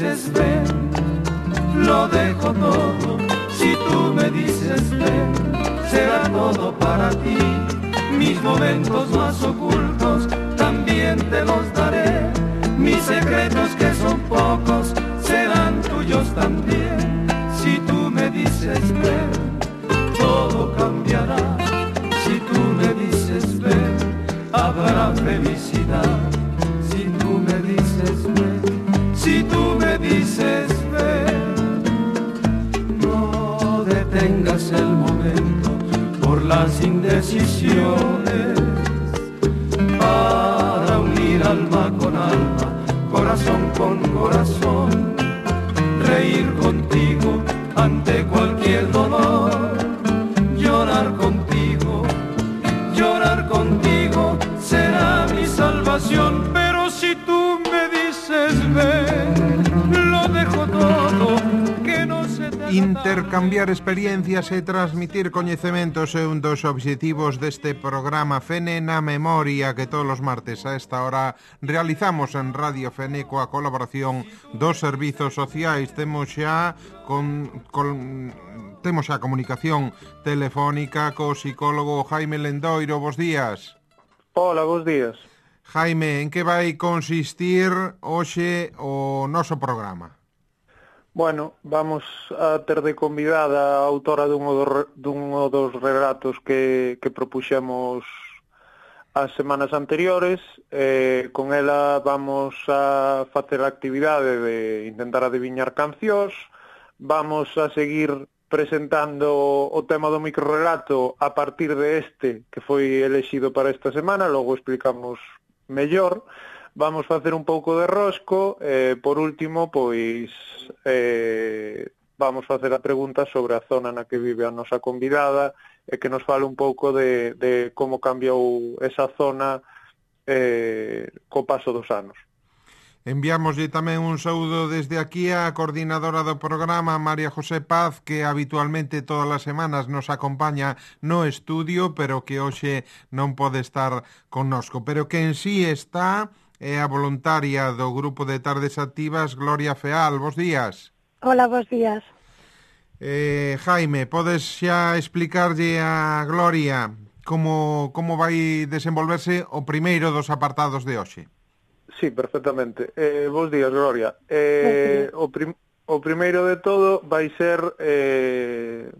dices ven, lo dejo todo. Si tú me dices ven, será todo para ti. Mis momentos más ocultos también te los daré. Mis secretos que son pocos serán tuyos también. Si tú me dices ven, todo cambiará. Si tú me dices ven, habrá felicidad. Si tú me dices ven, si tú me dices ven, no detengas el momento por las indecisiones, para unir alma con alma, corazón con corazón, reír contigo ante cualquier dolor, llorar contigo será mi salvación. Pero si tú me dices ven, lo dejo todo, que no se te Intercambiar experiencias e transmitir coñecementos é un dos obxectivos deste programa Fene na Memoria que todos os martes a esta hora realizamos en Radio Fene coa colaboración dos servizos sociais. Temos xa comunicación telefónica co psicólogo Jaime Lendoiro. Bos días. Hola, bos días. Jaime, en que vai consistir hoxe o noso programa? Bueno, vamos a ter de convidada a autora dun dos relatos que propuxemos as semanas anteriores. Con ela vamos a facer a actividade de intentar adiviñar cancións. Vamos a seguir presentando o tema do microrelato a partir de este que foi elexido para esta semana, logo explicamos mellor. Vamos facer un pouco de rosco, por último, pois vamos facer a pregunta sobre a zona na que vive a nosa convidada e que nos fale un pouco de como cambiou esa zona co paso dos anos. Enviámoslle tamén un saúdo desde aquí á coordinadora do programa, María José Paz, que habitualmente todas as semanas nos acompaña no estudio, pero que hoxe non pode estar connosco, pero que en sí está é a voluntaria do Grupo de Tardes Activas, Gloria Feal. Bos días. Hola, bos días. Jaime, podes xa explicarlle a Gloria como vai desenvolverse o primeiro dos apartados de hoxe? Sí, perfectamente. Bos días, Gloria. O primeiro de todo vai ser,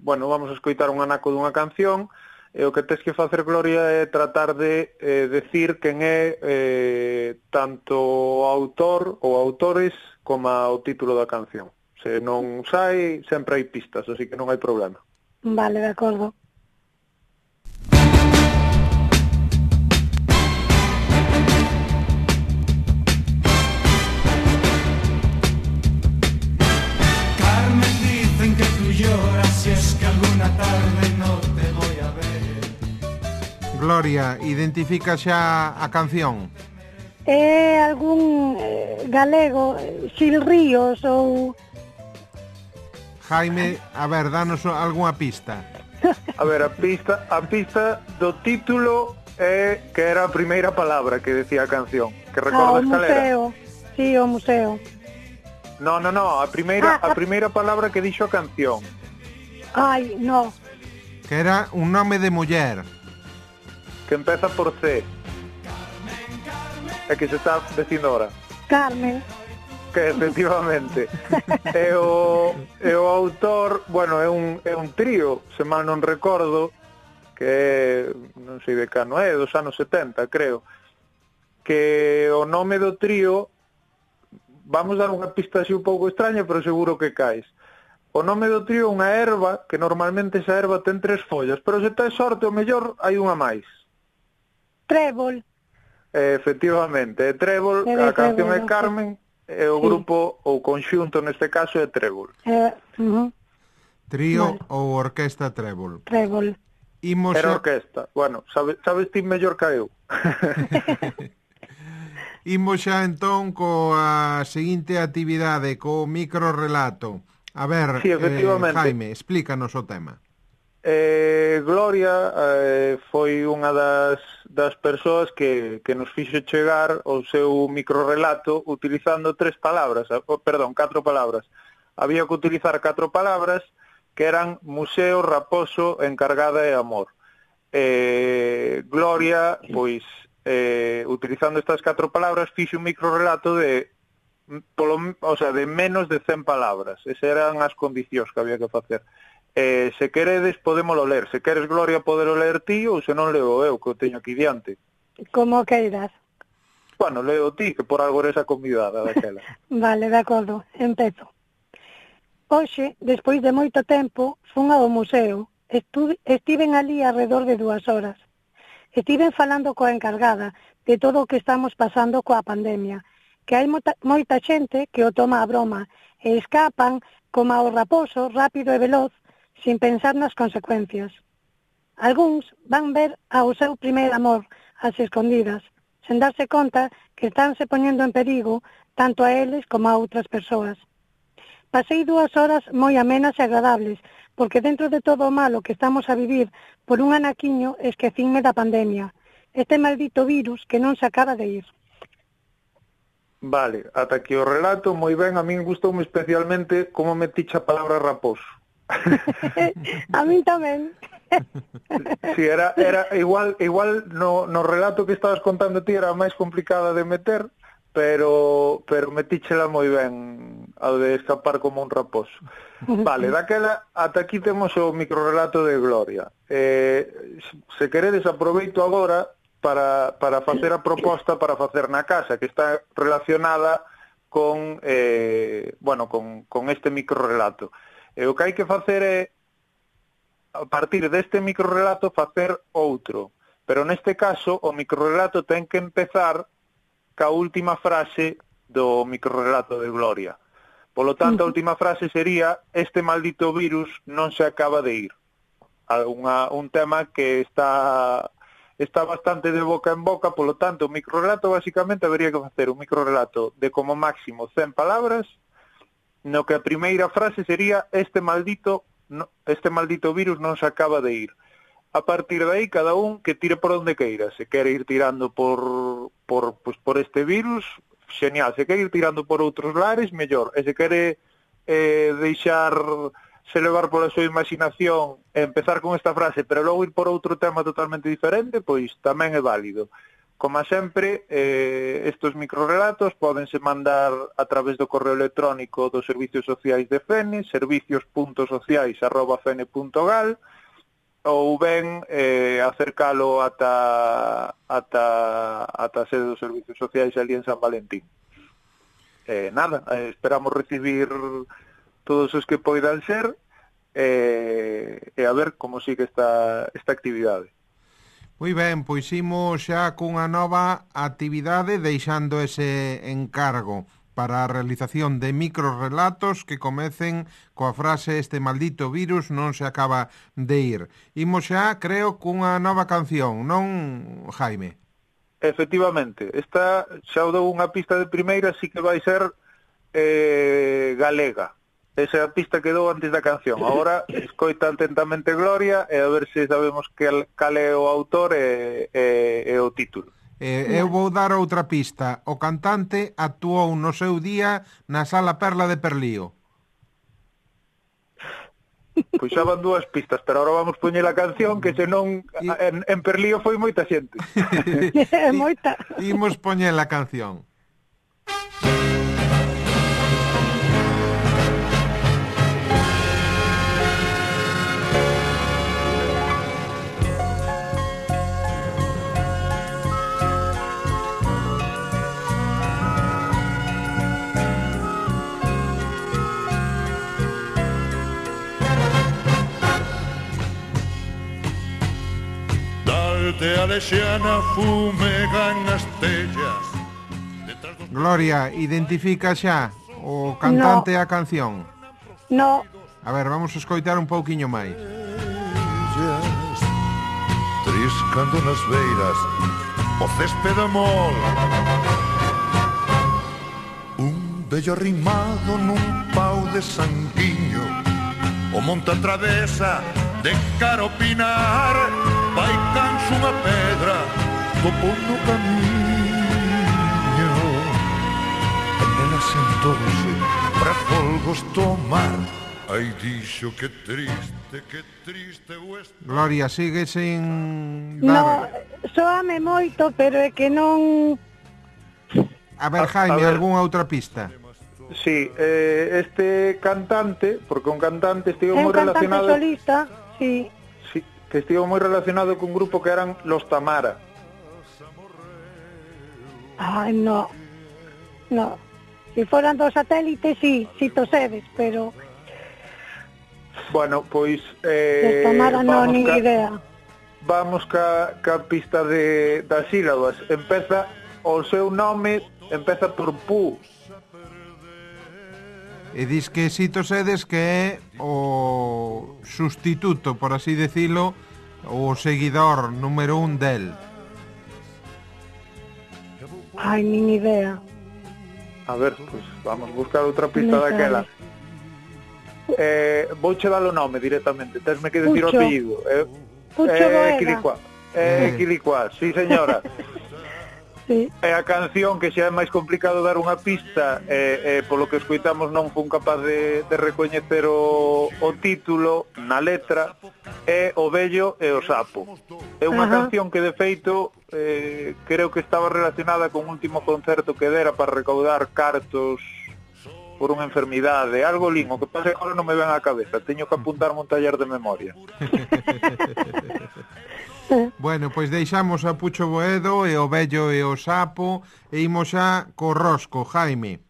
vamos a escoitar un anaco dunha canción. E o que tes que facer, Gloria, é tratar de decir quen é tanto o autor ou autores como o título da canción. Se non sai, sempre hai pistas, así que non hai problema. Vale, de acordo. Carmen, dicen que tú lloras si es que alguna tarde no te voy a ver. Gloria, identifica xa a canción? É algún galego, Xil Ríos ou... Jaime, a ver, danos algunha pista. A ver, a pista do título é que era a primeira palabra que decía a canción. Que recordas cal era? O museo. Sí, o museo. No, a primeira palabra que dixo a canción. Ai, no. Que era un nome de muller. Que empeza por C. É que se está dicindo ahora. Carmen. Que efectivamente. E o autor, é un trío, se mal non recordo, que non sei de cano é, dos anos 70, creo. Que o nome do trío, vamos dar unha pista así un pouco extraña, pero seguro que caes. O nome do trío é unha erva, que normalmente esa erva ten 3 follas, pero se tes sorte, o mellor hai unha máis. Trébol. Efectivamente, é Trébol, a canción é Carmen, e o grupo, ou conxunto neste caso, é Trébol. Trío ou orquesta Trébol? Trébol. Era orquesta. Bueno, sabes ti mellor que eu. Imos xa entón coa seguinte actividade, co microrelato. A ver, sí, efectivamente. Jaime, explícanos o tema. Gloria foi unha das persoas que nos fixo chegar o seu microrelato utilizando 4 palabras. Había que utilizar 4 palabras que eran museo, raposo, encargada e amor. Gloria, pois, utilizando estas 4 palabras, fixe un microrelato de menos de 100 palabras. Esas eran as condicións que había que facer. Se queredes, podémolo ler. Se queres, Gloria, podelo ler ti, ou se non leo eu, que o teño aquí diante. Como queiras. Bueno, leo ti, que por algo eres a convidada daquela. Vale, de acordo, empezo. Hoxe, despois de moito tempo, fun ao museo. Estiven ali alrededor de 2 horas. Estiven falando coa encargada de todo o que estamos pasando coa pandemia, que hai moita xente que o toma a broma e escapan como ao raposo, rápido e veloz, sin pensar nas consecuencias. Algúns van ver ao seu primeiro amor ás escondidas, sen darse conta que estánse poñendo en perigo tanto a eles como a outras persoas. Pasei 2 horas moi amenas e agradables, porque dentro de todo o malo que estamos a vivir por un anaquiño esquecinme da pandemia, este maldito virus que non se acaba de ir. Vale, ata aquí o relato, moi ben, a min gustoume especialmente como metiche a palabra raposo. A min tamén. Si, era igual no relato que estabas contando ti era máis complicada de meter, pero metíchela moi ben ao de escapar como un raposo. Vale, daquela ata aquí temos o microrelato de Gloria. Se queredes, aproveito agora para facer a proposta para facer na casa, que está relacionada con este microrelato. E o que hai que facer é, a partir deste microrelato, facer outro. Pero neste caso, o microrelato ten que empezar ca última frase do microrelato de Gloria. Polo tanto, a última frase sería: este maldito virus non se acaba de ir. Un tema que está bastante de boca en boca, polo tanto, o microrelato basicamente habería que facer un microrelato de como máximo 100 palabras, no que a primeira frase sería: este maldito virus non se acaba de ir. A partir de aí, cada un que tire por onde queira. Se quere ir tirando por este virus, genial. Se quere ir tirando por outros lares, mellor. E se quere deixarse levar pola súa imaginación e empezar con esta frase, pero logo ir por outro tema totalmente diferente, pois tamén é válido. Como sempre, estes microrelatos pódense mandar a través do correo electrónico dos Servicios Sociais de Fene, servicios.sociais@fene.gal, ou ben acercalo ata a sede dos Servicios Sociais ali en San Valentín. Esperamos recibir todos os que poidan ser e a ver como sigue esta actividade. Moi ben, pois imos xa cunha nova actividade deixando ese encargo para a realización de microrelatos que comecen coa frase: este maldito virus non se acaba de ir. Imos xa, creo, cunha nova canción, non, Jaime? Efectivamente, esta xa o dou unha pista de primeira, así que vai ser galega. Esa é a pista que dou antes da canción. Agora, escoita atentamente Gloria e a ver se sabemos cal é o autor e o título. Eu vou dar outra pista. O cantante actuou no seu día na Sala Perla de Perlío. Pois xa van 2 pistas, pero agora vamos poñer a canción, que senón en Perlío foi moita xente. Moita. Imos poñer a canción. De Alexiana fumegan as tellas. Gloria, identifica xa o cantante e a canción? No. A ver, vamos a escoitar un pouquiño máis. Triscando nas beiras o céspede mol, un vello arrimado nun pau de sanguiño, o monte atravesa de cara ao pinar, vai canso unha pedra topou no camiño, e nela sentouse para folgos tomar. Ai, dixo que triste o este. Gloria, sigue sin No, dar... soame moito, pero é que non... A ver, Jaime, algunha outra pista? Sí, este cantante, porque un cantante estivo É un moi cantante relacionado... solista, sí. Sí, que estivo moi relacionado cun grupo que eran Los Tamara. Ai, no. Si foran dos satélites, sí, si tosedes, pero... Bueno, pois... Los Tamara non, ni idea. Vamos ca pista das sílabas. Empeza, o seu nome empeza por Pu. E dis que Sito Sedes que é o sustituto, por así decilo, o seguidor número 1 del. Ai, nin idea. A ver, pois vamos buscar outra pista daquela. Vouche dar o nome directamente, tesme que decir o Pucho. apellido. Pucho Boeda. Quilicuá, sí señora. Sí. É a canción que xa é máis complicado dar unha pista, polo que escoitamos non fun capaz de recoñecer o título na letra, é O vello e o sapo. É unha canción que de feito creo que estaba relacionada con un último concerto que dera para recaudar cartos por unha enfermidade, algo lín, o que pasa agora non me ven á cabeza, teño que apuntarme un taller de memoria. Bueno, pois deixamos a Pucho Boedo e o vello e o sapo e imos xa co rosco, Jaime.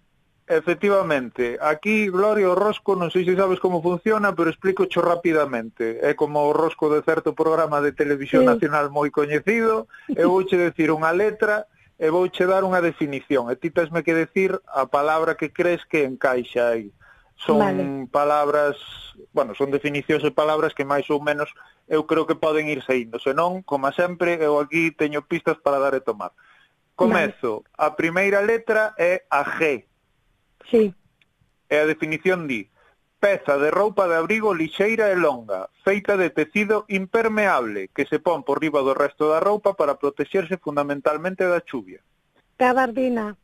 Efectivamente, aquí, Gloria, o rosco, non sei se sabes como funciona, pero explico cho rapidamente. É como o rosco de certo programa de televisión nacional moi coñecido, eu vouche decir unha letra e vouche dar unha definición, e ti tesme que decir a palabra que crees que encaixa aí. Son palabras, bueno, son definicións de palabras que máis ou menos eu creo que poden ir saindo, senón, como sempre, eu aquí teño pistas para dar e tomar. Comezo, a primeira letra é a G. Sí. E a definición di: peza de roupa de abrigo lixeira e longa, feita de tecido impermeable, que se pon por riba do resto da roupa para protexerse fundamentalmente da chuvia. Gabardina.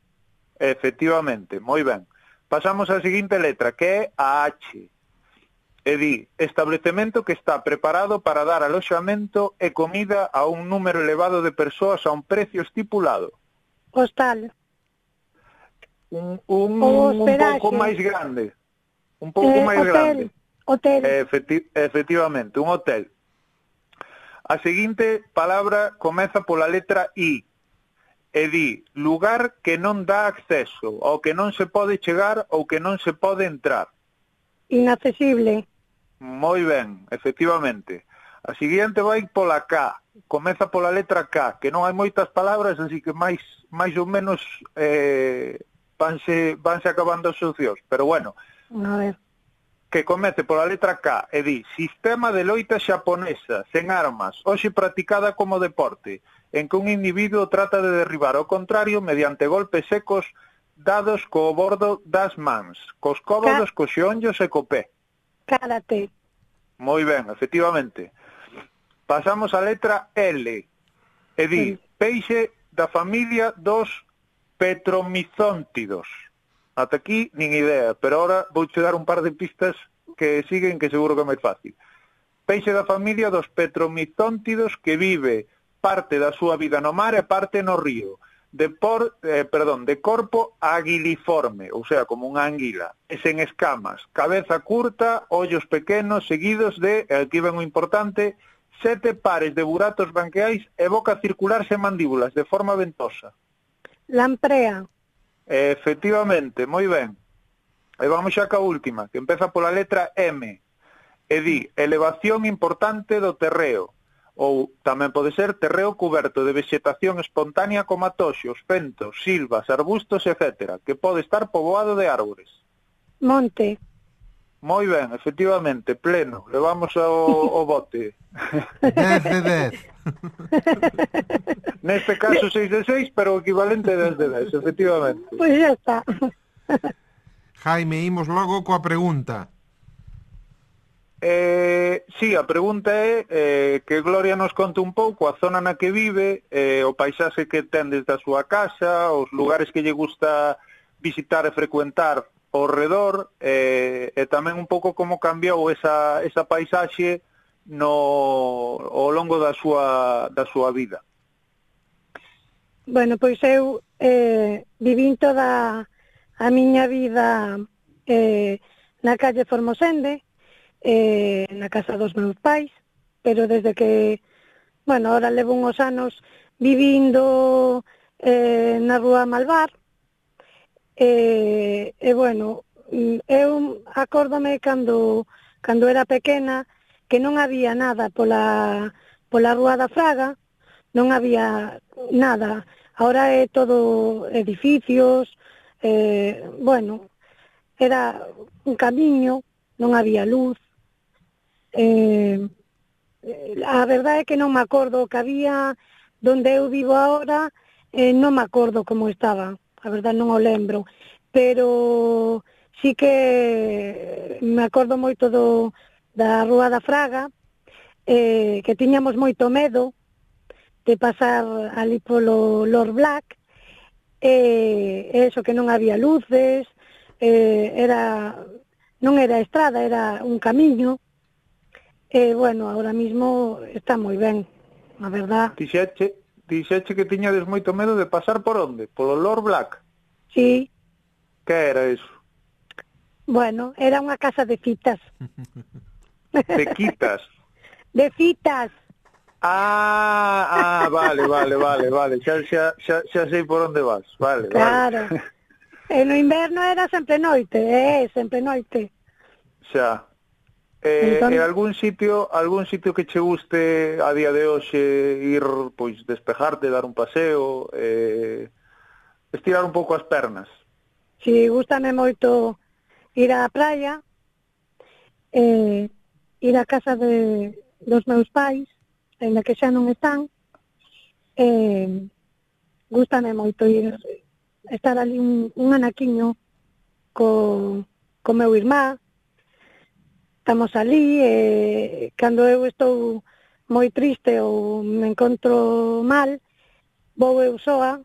Efectivamente, moi ben. Pasamos á seguinte letra, que é a H. E di: establecemento que está preparado para dar aloxamento e comida a un número elevado de persoas a un precio estipulado. Hostal. Un pouco máis grande. Un pouco máis grande. Hotel. Efectivamente, un hotel. A seguinte palabra comeza pola letra I. E di: lugar que non dá acceso, ao que non se pode chegar ou que non se pode entrar. Inaccesible. Moi ben, efectivamente. A seguinte vai pola K. Comeza pola letra K, que non hai moitas palabras, así que máis ou menos vanse acabando as opcións. Pero bueno, a ver. Que comece pola letra K e di: sistema de loita xaponesa, sen armas, hoxe practicada como deporte, en que un individuo trata de derribar ao contrario mediante golpes secos dados co bordo das mans, cos cómodos, cos xeonllos e co pé. Karate. Moi ben, efectivamente. Pasamos á letra L e di: peixe da familia dos petromizóntidos. Ata aquí nin idea, pero ahora vouche dar un par de pistas que siguen, que seguro que é máis fácil. Peixe da familia dos petromizóntidos que vive parte da súa vida no mar e parte no río. De corpo aguiliforme, ou sea, como unha anguila, e sen escamas, cabeza curta, ollos pequenos, seguidos de, aquí ven o importante, 7 pares de buratos branquiais e boca circular sen mandíbulas, de forma ventosa. Lamprea. Efectivamente, moi ben. E vamos xa ca última, que empeza pola letra M, e di: elevación importante do terreo, ou tamén pode ser terreo cuberto de vegetación espontánea como atoxos, fentos, silvas, arbustos, etc., que pode estar poboado de árbores. Monte. Moi ben, efectivamente, pleno. Levamos o bote. 10 de 10. Neste caso 6 de 6, pero o equivalente é 10 de 10, efectivamente. Pois xa está. Jaime, imos logo coa pregunta. Sí, a pregunta é que Gloria nos conte un pouco a zona na que vive, o paisaxe que ten desde a súa casa, os lugares que lle gusta visitar e frecuentar ao redor, e tamén un pouco como cambiou esa paisaxe ao longo da súa vida. Bueno, pois eu vivín toda a miña vida na calle Formosende, na casa dos meus pais, pero desde que, bueno, ahora levo uns anos vivindo na rúa Malvar, bueno, eu acórdome cando era pequena que non había nada pola rúa da Fraga, non había nada. Ahora é todo edificios, bueno, era un camiño, non había luz. A verdade é que non me acordo o que había donde eu vivo agora, non me acordo como estaba, a verdade non o lembro, pero sí que me acordo moito da Rúa da Fraga, que tiñamos moito medo de pasar ali polo Lord Black, eso que non había luces, non era estrada, era un camiño, bueno, ahora mismo está moi ben, a verdad. Dixeche que tiñades moito medo de pasar por onde? Polo Lord Black? Sí. Que era eso? Bueno, era unha casa de citas. De quitas? De citas. Vale, xa sei por onde vas, vale. Claro, e no inverno era sempre noite, sempre noite. Xa, entón... algún sitio que che guste a día de hoxe ir, pois, despejarte, dar un paseo, estirar un pouco as pernas? Si, gústame moito ir á praia, ir á casa dos meus pais, ainda que xa non están, gústame moito ir, estar ali un anaquiño co meu irmá, estamos ali, cando eu estou moi triste ou me encontro mal, vou eu soa,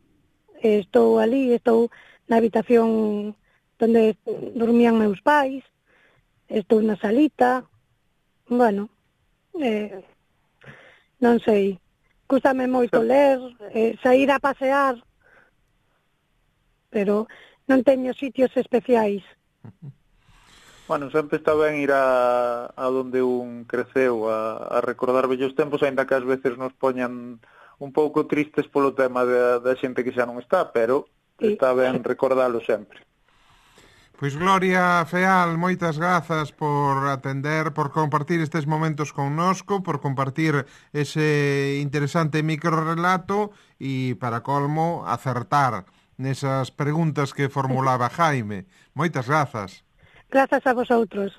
estou ali, estou na habitación onde dormían meus pais, estou na salita, bueno, non sei, gústame moito ler, saír a pasear, pero non teño sitios especiais. Bueno, sempre está ben ir a donde un creceu, a recordar vellos tempos, aínda que ás veces nos poñan un pouco tristes polo tema da xente que xa non está, pero está ben recordalo sempre. Pois Gloria Feal, moitas grazas por atender, por compartir estes momentos connosco, por compartir ese interesante microrelato e, para colmo, acertar nesas preguntas que formulaba Jaime. Moitas grazas. Grazas a vosotros.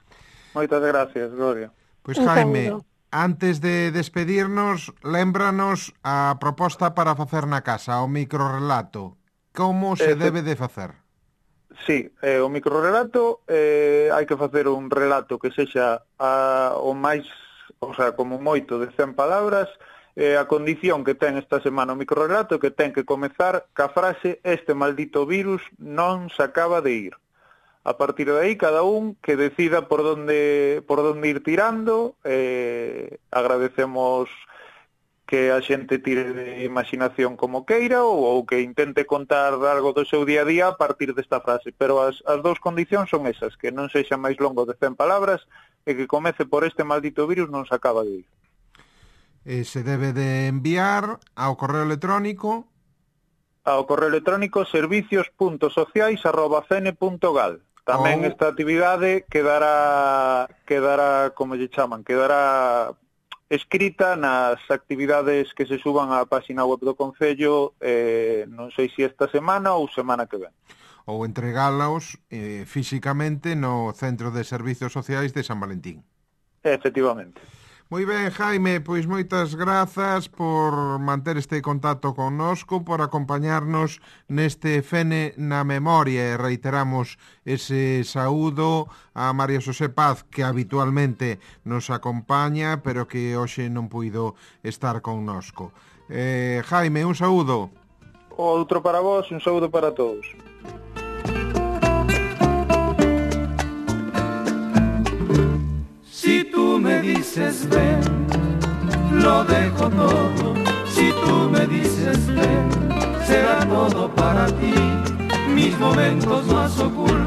Moitas gracias, Gloria. Pois Jaime, antes de despedirnos, lémbranos a proposta para facer na casa, o microrelato. Como se debe de facer? Sí, o microrelato hai que facer un relato que sexa o máis, o sea, como moito de 100 palabras, a condición que ten esta semana o microrelato que ten que comezar ca frase "este maldito virus non se acaba de ir". A partir de aí, cada un que decida por donde ir tirando, agradecemos que a xente tire de imaginación como queira ou que intente contar algo do seu día a día a partir desta frase, pero as dous condicións son esas, que non sexa máis longo de 100 palabras e que comece por "este maldito virus non se acaba de ir". Se debe de enviar ao correo electrónico servicios.sociais@cn.gal. Tamén esta actividade quedará como lle chaman, quedará escrita nas actividades que se suban á página web do Concello, non sei se esta semana ou semana que ven. Ou entregálaos físicamente no Centro de Servicios Sociais de San Valentín. Efectivamente. Moi ben, Jaime, pois moitas grazas por manter este contacto connosco, por acompañarnos neste Fene na Memoria, e reiteramos ese saúdo a María Xosé Paz, que habitualmente nos acompaña, pero que hoxe non puido estar connosco. Jaime, un saúdo. Outro para vos, un saúdo para todos. Si tú me dices ven, lo dejo todo. Si tú me dices ven, será todo para ti. Mis momentos más ocultos